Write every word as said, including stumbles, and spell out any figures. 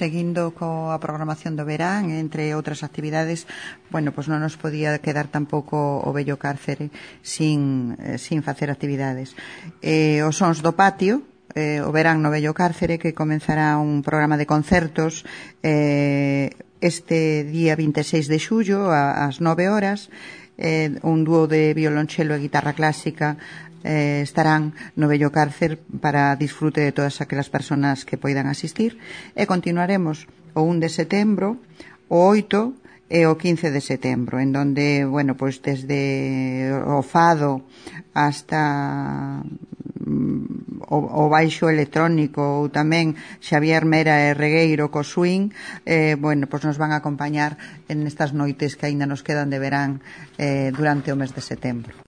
seguindo coa programación do verán, entre outras actividades, bueno, pois non nos podía quedar tampouco o vello cárcere sin, eh, sin facer actividades. Eh, os sons do patio, eh, o verán no vello cárcere, que comenzará un programa de concertos eh, este día vinte e seis de xullo ás nove horas, eh, un dúo de violonchelo e guitarra clásica eh, estarán no vello cárcer para disfrute de todas aquelas persoas que poidan asistir, e continuaremos o un de setembro, o oito e o quince de setembro, en donde, bueno, pois desde o fado hasta o, o baixo electrónico, ou tamén Xavier Mera e Regueiro co swing, eh, bueno, pois nos van a acompañar en estas noites que aínda nos quedan de verán eh, durante o mes de setembro.